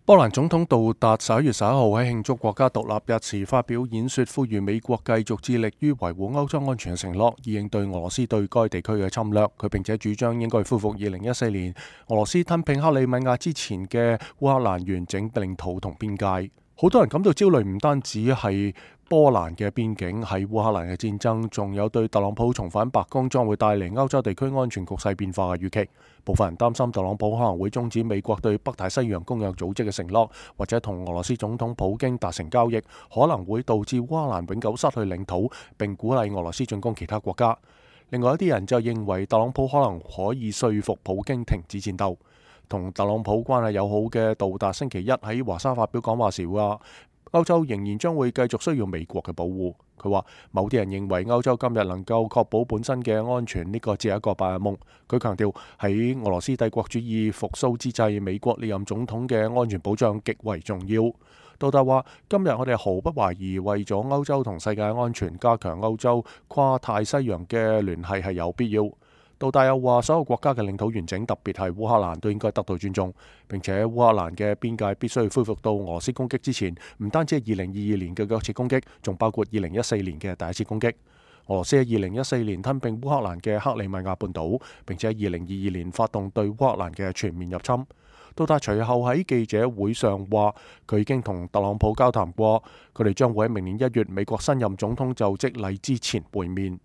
波蘭總統杜達11月11號喺慶祝國家獨立日時發表演說，呼籲美國繼續致力於維護歐洲安全嘅承諾，以應對俄羅斯對該地區嘅侵略。佢並且主張應該恢復2014年俄羅斯吞併克里米亞之前嘅烏克蘭完整領土同邊界。好多人感到焦慮，唔單止係波蘭嘅邊境，喺烏克蘭嘅戰爭，仲有對特朗普重返白宮將會帶嚟歐洲地區安全局勢變化嘅預期。部分人擔心特朗普可能會終止美國對北大西洋公約組織嘅承諾，或者同俄羅斯總統普京達成交易，可能會導致烏克蘭永久失去領土，並鼓勵俄羅斯進攻其他國家。另外一啲人就認為特朗普可能可以說服普京停止戰鬥。同特朗普關係友好嘅杜達星期一喺華沙發表講話時話，歐洲仍然將會繼續需要美國嘅保護。佢話某啲人認為歐洲今日能夠確保本身嘅安全，呢個只係一個白日夢。佢強調喺俄羅斯帝國主義復甦之際，美國連任總統嘅安全保障極為重要。杜達話今日我哋毫不懷疑為咗歐洲同世界安全，加強歐洲跨太西洋嘅聯繫係有必要。杜達又話所有國家嘅領土完整，特別係烏克蘭都應該得到尊重，並且烏克蘭嘅邊界必須恢復到俄羅斯攻擊之前，唔單止係2022年嘅一次攻擊，仲包括2014年嘅第一次攻擊。俄羅斯喺2014年吞併烏克蘭嘅克里米亞半島，並且喺2022年發動對烏克蘭嘅全面入侵。杜達隨後喺記者會上話，佢已經同特朗普交談過，佢哋將會喺明年1月美國新任總統就職禮之前會面。